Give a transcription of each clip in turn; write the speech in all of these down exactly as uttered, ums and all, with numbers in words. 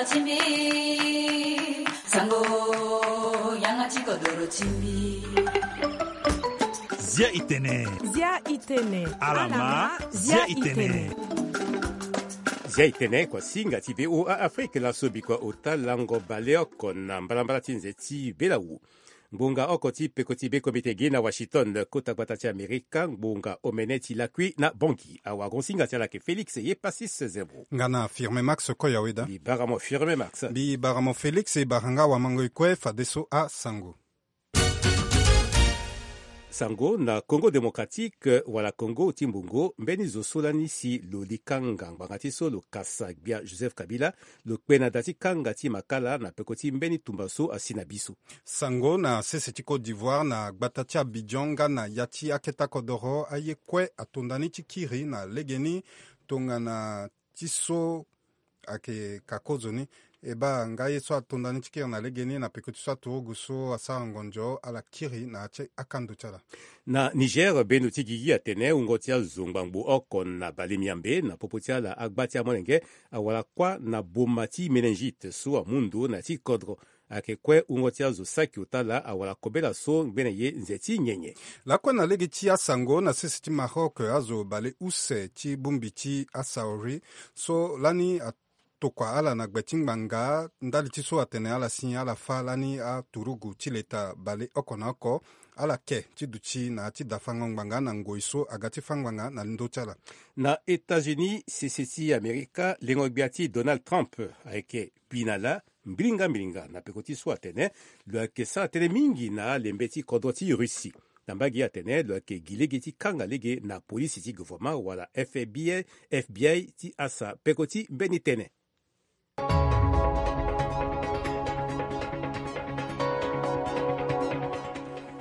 Timbi, sango, yanga ti kodoro timbi. Zia itene. Zia itene. Alama, zia itene. Zia itene, kua singa ti V O A Afrique, laso bikua ota lango baleoko na mbalambala ti nze ti belawu. Ngbonga oko ti peko ti be komite gi na Washington, kota gbata ti Amerika, ngbonga omene ti lakui na Bangui. Awagonsinga ti ala yeke Félix ye Passis Zembo. Nga na Firme Max Koyaweda. Mbi bara mo Firme Max. Mbi bara mo Félix, e bara nga wamango e kue fadeso asango. Sango na Congo Démocratique wala Congo ti Mbongo, mbeni zo so lani si lo li kanga ngbanga ti so lo kasa gbia Joseph Kabila, lo kpe na da ti kanga ti makala na peko ti mbeni tumba so asi na biso. Sango na sese ti Côte d'Ivoire na gbata ti Abidjan nga na ya ti aketa kodoro aye kue atonda ni ti kiri na legeni tongana ti so ayeke ka kozo ni. E baa nga ye so atonda ni ti kiri na legeni na peko ti so aturugu so asara ngonzo ala kiri na ya ti akando ti ala. Na Niger, bendo ti gigi atene wungo ti azo ngbangbo oko na bale miambe na popo ti ala agba ti amolenge awara kuâ na boma ti méningite so amu ndo na ya ti kodro. Ayeke kue wungo ti azo saki ota laa awara kobela so ngbene ye nze ti nyenye. Lakue na lege ti asango na sese ti Maroc, azo bale use ti bongbi ti asaori so lani atokua ala na gbe ti ngbanga ndali ti so atene ala si ala fâ lani aturugu ti leta bale oko na oko ala ke ti duti na ya ti dafango ngbanga na ngoi so aga ti fâ ngbanga na ndö ti ala. Na États-Unis, sese ti Amerika, lengo gbia ti Donald Trump ayeke bi na lâ mbilinga mbilinga na peko ti so atene lo yeke sara tënë mingi na alembe ti kodro ti Russie. Na mbage atene lo yeke gi lege ti kanga lege na polisi ti gouvernement wala F B I, F B I ti asa peko ti mbeni tënë.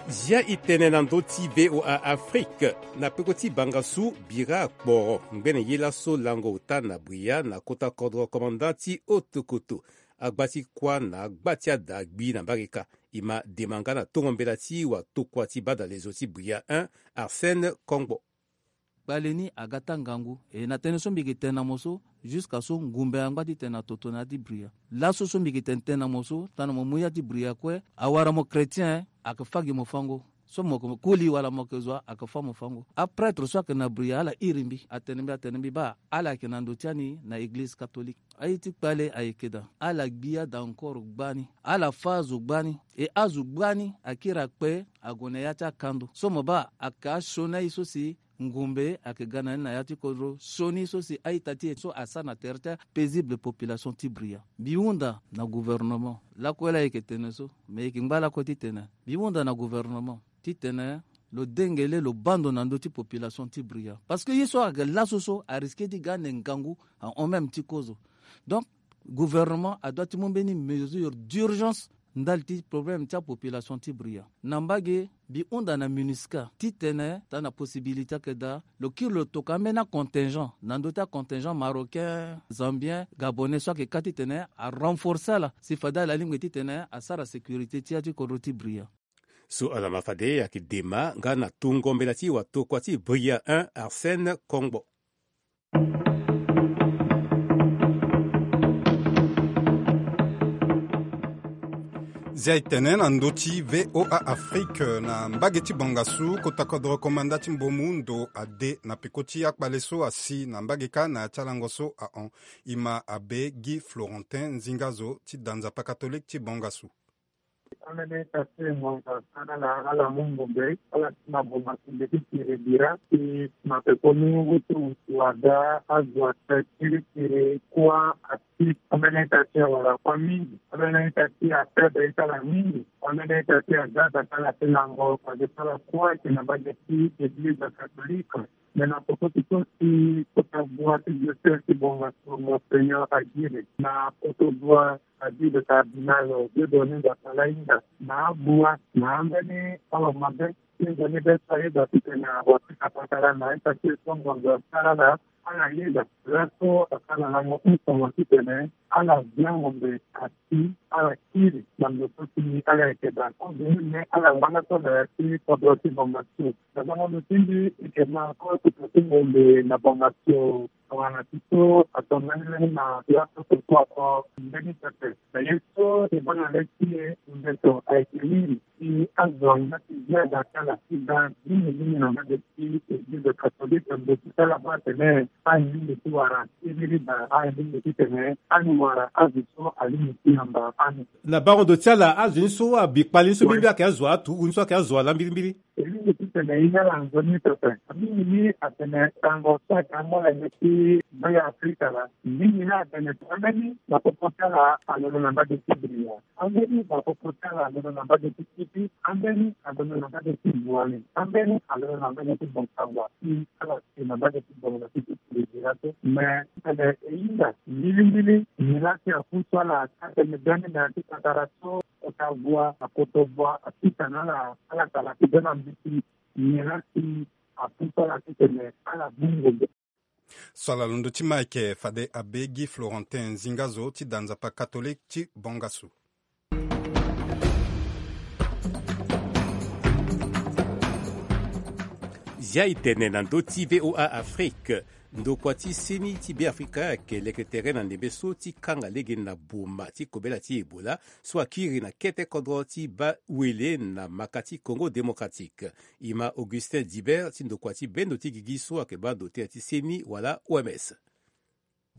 Zia itene na ndö ti V O A Afrique. Na peko ti bangasu, bira akporo ngbene ye laso lango ota na Bria na kota kodro komanda ti Haute-Kotto. Agba ti kuâ na agba ti ada gbi na mbage kâ. E ma dema nga na tongo mbela ti watokua ti badalezo ti Bria un, Arsène Kongbo. Kpale ni aga taa ngangu. E na tënë so mbi yeke tene na mo so, jusqu'à so ngumbe angba ti tene na toto na ya ti Bria. Laso so mbi yeke tene tënë na mo so, tongana mo mu ya ti Bria kue, awara mo chrétien, ayeke fâ gi mo fango. So mo yeke koli wala mo yeke zo, ayeke fâ mo fango. Aprêtre so ayeke na Bria, ala iri mbi, atene mbi, atene mbi baa, ala yeke na ndo ti ani na église catholique. Aye ti kpale ayeke daa. Ala gbi ada encore gbani. Ala fâ azo gbani. E azo gbani akiri akpe ague na ya ti akando. So mo baa, ayeke asioni aye so si ngumbe ayeke ga na ni na ya ti kodro, sioni so si a-ita ti e so asara na tere ti apaisible population ti Bria. Mbi hunda na gouvernement. Lakue laa e yeke tene so, me e yeke ngba lakue ti tene. Mbi hunda na gouvernement titene lo dengele lo baa ndo na ndö ti population ti Bria. Parce que ye so ayeke laso so ariske ti ga ande ngangu ahon même ti kozo. Donc, gouvernement adoit ti mu mbeni mesure d'urgence ndali ti problème ti apopulation ti Bria. Na mbage, mbi hunda na MINUSCA titene tongana possibilité ayeke daa, lo kiri lo tokua ambeni acontingent na ndö ti acontingent marocain, zambien, gabonais so ayeke kâ titene arenforcer ala si fade ala lingbi titene asara sécurité ti ya ti kodro ti Bria. So ala ma fade ayeke dema nga na tongo mbela ti watokua ti Bria un, Arsène Kongbo. Zia e tene na ndö ti V O A Afrique na mbage ti Bangassou, kota kodro komanda ti Mbomu ndo ade na peko ti akpale so asi na mbage kâ na ya ti alango so ahon. E ma abe Guy Florentin, nzinga zo ti da Nzapa catholique ti Bangassou. Ambeni ita ti ngonzo asara ala, ala mu ngombe, ala ti na bonga ti mbi ti kiri bira ti na pekoni wutu wutu ada azo ate kiri kiri kuâ ati. Ambeni ita ti awara kuâ mingi. Ambeni ita ti afaible ti ala mingi. Ambeni ita ti aza aza ala ti lango fade ti ala kuâ ayeke na mbage ti église catholique. Me na peko ti so si kota bua ti diocèse ti Bangassou, Monseigneur Aguirre, na poto bua Aguirre cardinal Dieudonné Nzapalainga, na abua na ambeni ala mabe ti nzoni be so ayeda titene awara ti ka patara na ita ti e so ngonzo asara ala, ala yeda. Laso asara lango ti tongo titene ala via ngombe ati, ala kiri na ndo so si ala yeke daa. Kobeni me ala ngba laso na ya ti kodro ti Bangassou. Na bango ndo ti mbi e yeke ma kue kota ti ngombe na Bangassou. Wala ti so ato mbeni mbeni na laso so ato mbeni pepe. Na ye so e baa na le ti e, mbeto ayeke mingi. Si azo angba ti ziada ti ala ti ga mingi mingi na mbage ti eglize katolike, mbeto ti ala baa atene aye mingi ti wara ti riri daa, aye mingi titene ani wara azo so alingbi ti yamba ani. Na bango ndo ti ala azo ni so abi kpali ni so mbirimbiri ayeke azo aturugu ni so ayeke azo ala mbirimbiri. E lingbi titene e hinga ala nzoni pepe. Mingi ni atene tango so ayeke amolenge ti Be Afrika laa. Mingi ni atene ambeni bapopo ti ala alondo na mbage ti Bria. Ambeni bapopo ti ala alondo na mbage ti Kipi. Ambeni alondo na mbage ti Buani. Ambeni alondo na mbage ti Bonkangua. Si ala si na mbage ti Bongo ti ti Bria so. Me titene e hinga mbirimbiri, nyen laa si apusu ala ti atene mbeni na ya ti patara so. Kota gua, akoto gua, apita na ala, ala kala ti bena mbeti, nyen laa si apusu ala titene ala bongbo. So ala londo ti ma ayeke fade abe Guy Florentin Zingazo ti da Nzapa Catholique ti Bongasu. Zia e tene na ndö ti V O A Afrique. Ndokua ti seni ti Beafrika ayeke leke tere na ndembe so ti kanga lege na boma ti kobela ti Ebola so akiri na kete kodro ti baa wele na maka ti Congo Démocratique. E ma Augustin Dibert ti ndokua ti bendo ti gigi so ayeke baa ndo tere ti seni wala O M S.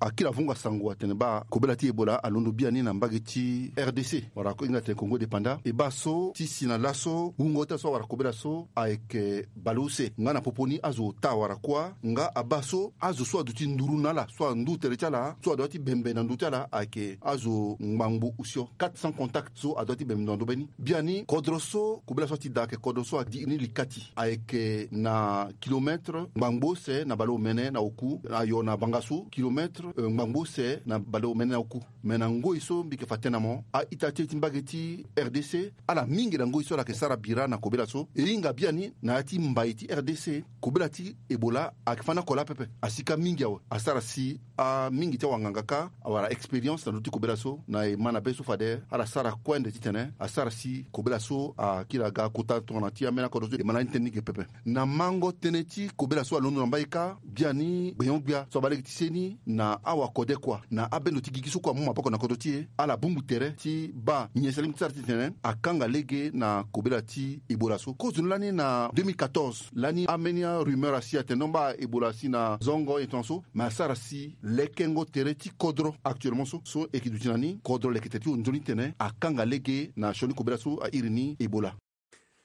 Akiri avunga sango atene baa kobela ti Ebola alondo biani na mbage ti R D C, wala ko hinga tene Congo Dépendant. E baa so ti si na laso wungo ti ala so awara kobela so ayeke baleuse nga na popo ni azo ota awara kuâ. Nga abaa so azo so aduti nduru na ala so andu tere ti ala so adua ti bembe na nduru ti ala ayeke azo ngbangbo osio, quatre cents contacts so adua ti bembe na ndo mbeni. Biani kodro so kobela so ati daa ayeke kodro so adi ni likati, ayeke na kilomètre ngbangbo use na baleomene na oku, ayo na Bangassou, kilomètre, eh, ngbangbo use na baleomene na oku. Me na ngoi so mbi yeke fa tënë na mo, a-ita ti e ti mbage ti R D C, ala mingi na ngoi so ala yeke sara bira na kobela so. E hinga biani na ya ti mbai ti R D C, kobela ti Ebola ayeke fani oko laa pepe. Asika mingi awe. Asara si amingi ti awanganga kâ awara expérience na ndö ti kobela so. Na e ma na be so fade ala sara kue nde titene asara si kobela so akiri aga kota tongana ti ambeni akodro so e ma lani tënë ni ge pepe. Na mango tënë ti kobela so alondo na mbai kâ, biani gbenyo-gbia so abaa lege ti seni na awakode kua na abendo ti gigi so kue amu maboko na kodro ti e, ala bungbi tere ti baa nyen sara ti sara titene akanga lege na kobela ti Ebola so. Kozoni lani na deux mille quatorze, lani ambeni arumeur asi atene non baa Ebola asi na zongo e tongaso, me asara si lekengo tere ti kodro actuellement so, so e yeke duti na ni, kodro leke tere ti honzoni titene akanga lege na sioni kobela so airi ni Ebola.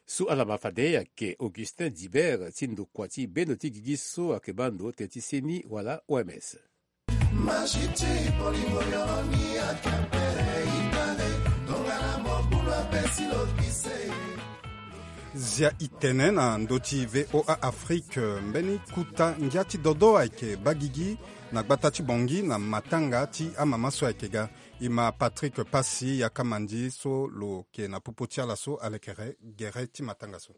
So ala ma fade ayeke Augustin Dibert ti ndokua ti bendo ti gigi so ayeke baa ndo tere ti seni wala O M S. Maji ti bolingo yo ni ayeke ape itene tongana mobulu ape si lo gise. Zia e tene na ndö ti V O A Afrique, mbeni kuta ngia ti dodo ayeke baa gigi na gbata ti Bangui na matanga ti amama so ayeke ga. E ma Patrick Passy, yakamandi so lo yeke na popo ti ala so alekere gere ti matanga so.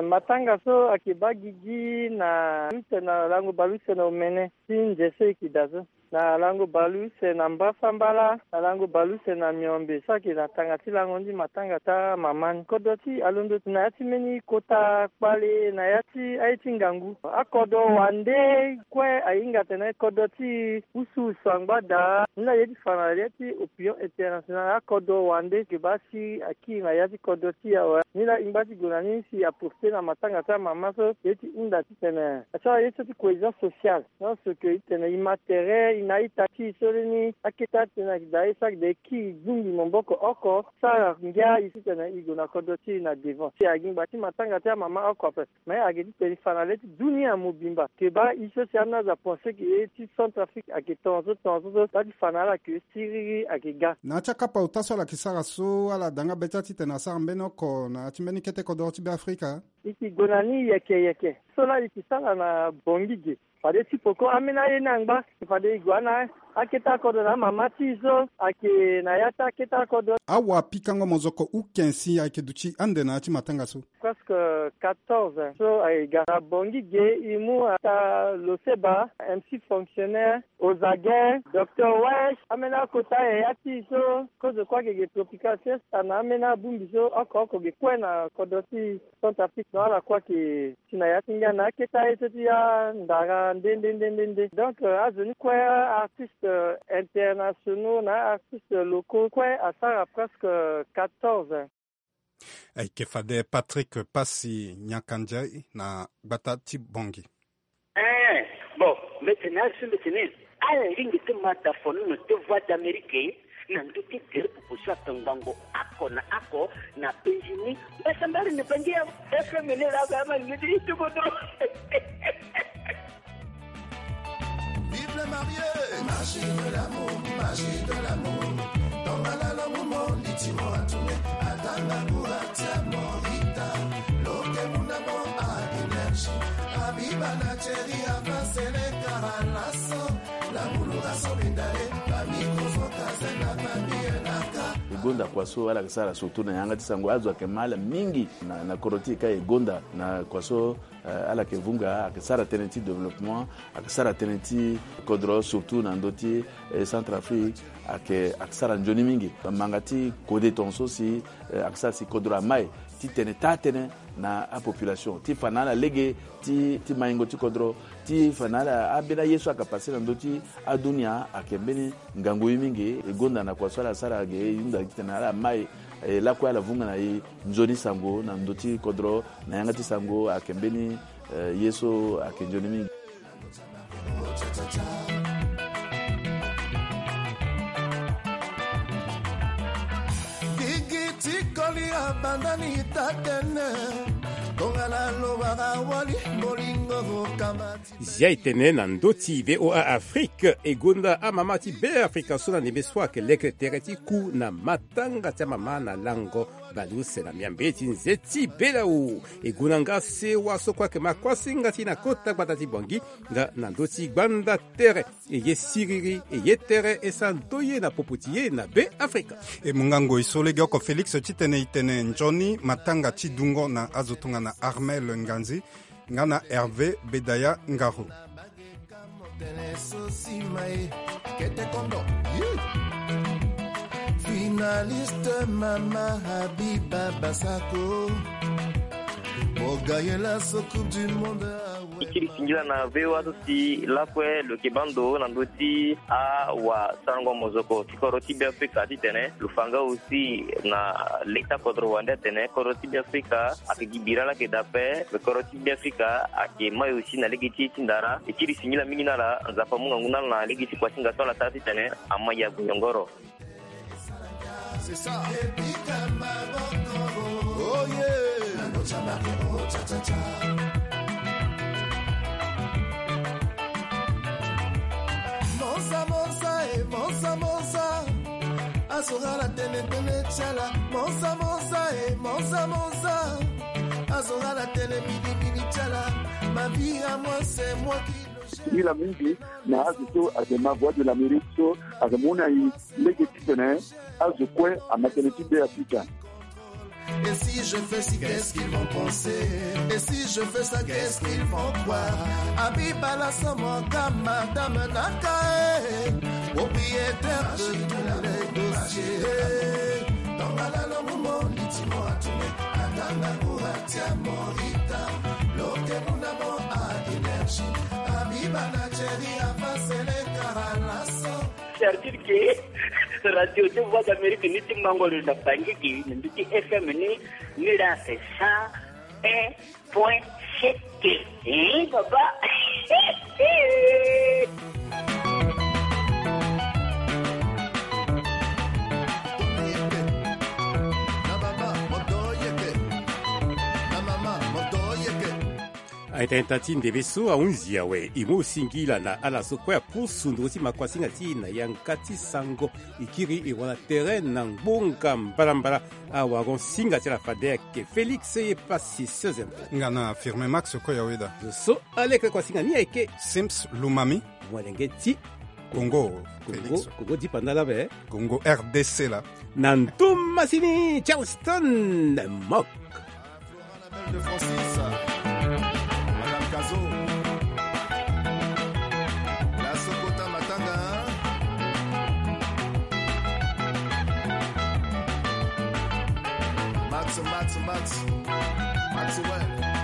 Matanga so ayeke baa gigi na use na lango baleuse na omene ti nze so e yeke daa so. Na lango baleuse na mbasambala, na lango baleuse na miombe so ayeke na tanga ti lango ni matanga ti amama ni. Kodro ti e alondo na ya ti mbeni kota kpale na ya ti aye ti ngangu. Akodro wande kue ahinga atene kodro ti e usu usu angba daa. Ni laa ye ti fa na ya ti opinion internationale, akodro wande yeke baa si akiri na ya ti kodro ti e awe. Ni laa e ngba ti gue na ni si e profiter na matanga ti amama so ye ti hunda titene asara ye so ti cohésion sociale. Non, ce que e tene e ma tere e na a-ita ti e so lani akete atene ayeke daa ye so ayeke daa e kiri e bungbi maboko oko, sara ngia e titene e gue na kodro ti e na devant. Si ayeke ngba ti matanga ti amama oko ape. Mais ayeke titene e fa na le ti dunia mobimba ke baa e so si ani azo apenser ke ye ti Centrafrique ayeke tongaso tongaso so baa ti fa na ala ke siriri ayeke ga. Na ya ti akapa ota so ala yeke sara so, ala da nga be ti ala titene asara mbeni oko na ya ti mbeni kete kodoro ti Beafrika. E yeke gue na ni yeke yeke. So laa e yeke sara na Bangui ge. Fade ti poko ambeni aye ni angba, fade e gue na Akete akodro na amama ti e so ayeke na ya ti akete akodro. Awapikango mozoko uken si ayeke duti ande na ya ti matanga so. Presque quatorze so ayeke ga na Bangui ge, e mu ata Loseba, M C fonctionnaire, Ozagen, Docteur Wesh, ambeni akota yaya ti e so kozo kue ayeke ge Tropical Fiesta na ambeni abongbi so oko oko ge kue na kodro ti Centrafrique. Donc ala kue ayeke si na ya ti ngia na akete aye so ti andara nde nde nde nde nde. Donc azo ni kue, artistes internationaux na artistes locaux kue asara presque quatorze. Ayeke fade Patrick Passy Nyanka Ndiaye na gbata ti Bangui. Eh, bon, mbetene azo mbetene. Ala lingbi ti ma da fonono ti Voix d'Amérique na ndö ti gere popo so ayeke ngbongo oko na oko na penzi ni. Mbasambare na Bangui awe. F M ni laa ape ama lingbi ti tuku dro. Vive les mariés. Magie de l'amour, magie de l'amour. Tongala lo mumo litimo atume. Atanga kura tia morita. Lo ke muna mo a énergie. Abiba na Thierry avance le caralasso. La mulura so bindale. Famille kozo kaze na famille naka. E gonda kua so ala yeke sara surtout na yanga ti sango azo ayeke ma ala mingi na, na kodro ti e ka e gonda na kua so. Eh, ala yeke vunga, ayeke sara tënë ti développement, ayeke sara tënë ti kodro, surtout na ndö ti, eh, Centrafrique, ayeke, ayeke sara nzoni mingi. Manga ti kode tongaso si, eh, ayeke sara si kodro amai ti tene taa tënë na apopulation ti fa na ala lege ti, ti maingo ti kodro, ti fa na ala ambeni aye so ayeke pase na ndö ti adunia ayeke mbeni ngangu ye mingi. E gonda na kua so ala sara ge, e hunda titene ala mai, eh, lakue ala vunga na e nzoni sango na ndö ti kodro, na yanga ti sango ayeke mbeni, eh, ye so ayeke nzoni mingi. Gigi ti koli abanda ni tatene. Tongana lo wara wali, bolingo vo kamati. Zia e tene na ndö ti V O A Afrique, e gonda amama ti Beafrika so na ndembe so ayeke leke tere ti ku na matanga ti amama na lango baleuse na miambe ti nze ti belawu. E gonda nga sewa so kue ayeke ma kuasinga ti e na kota gbata ti Bangui, nga na ndö ti gbanda tere, e ye siriri, e ye tere, e sara ndö ye na popo ti e na Beafrika. E mu nga ngoi so legeoko Félix titene e tene nzoni matanga ti dungo na azo tongana Armel Nganzi nga na Hervé Bedaya Ngaro. Finaliste Mama Habiba Basako. Mo gaye laso Coupe du Monde. Ti kiri singila na V O A so si lakue lo yeke baa ndo na ndö ti awasarango mozoko ti kodro ti Beafrika titene lo fa nga aussi na leta kodro wande atene kodro ti Beafrika ayeke gi bira laa ayeke daa ape. Me kodro ti Beafrika ayeke mai aussi na lege ti ye ti ndara. E kiri singila mingi na ala, Nzapa amu ngangu na ala na lege ti kuasinga so ala sara titene ama ya gue nyongoro. C'est ça. Oh yeah. Monza, monza, eh, monza, monza. Azora la tene, tene, tiala. Monza, monza, eh, monza, monza. Azora la tene, mini, mini, tiala. Ma vie à moi, c'est moi qui le gère. Singila mingi na azo so ayeke ma Voix de l'Amérique so ayeke mu na e lege titene azo kue ama tënë ti Beafrika. Et si je fais ci, qu'est-ce qu'ils vont penser? Et si je fais ça, qu'est-ce qu'ils vont croire? Abiba la Samoka, madame Naka, eh, propriétaire de tous les dossiers. Tongala lo mumo litimo atume, atanga kura tia morita, lo ke muna mo a énergie. Abiba na Thierry avance le caralasso. C'est-à-dire que Radio de Voix d'Amérique ni ti mango lo na Bangui gi na ndö ti F M ni, ni la c'est cent un point sept. Hein, papa? Aita enta ti ndembe so ahunzi awe, e mu singila na ala so kue apusu nduru ti makuasinga ti e na yanga ti sango. E kiri e wara tere na ngbonga mbalambala. Awaron singa ti ala fade ayeke Félix ye pasi seize. Nga na Firmin Max kue ya weda. Zo so aleke kuasinga ni ayeke Sims Lumami, molenge ti Congo. Congo, Congo di panda la be. Congo R D C la. Na ntumba sini Charleston Mok. Florent la belle de Francis. Madame Kazo. La Sokota Matanga. Max, Max, Max. Maxwell.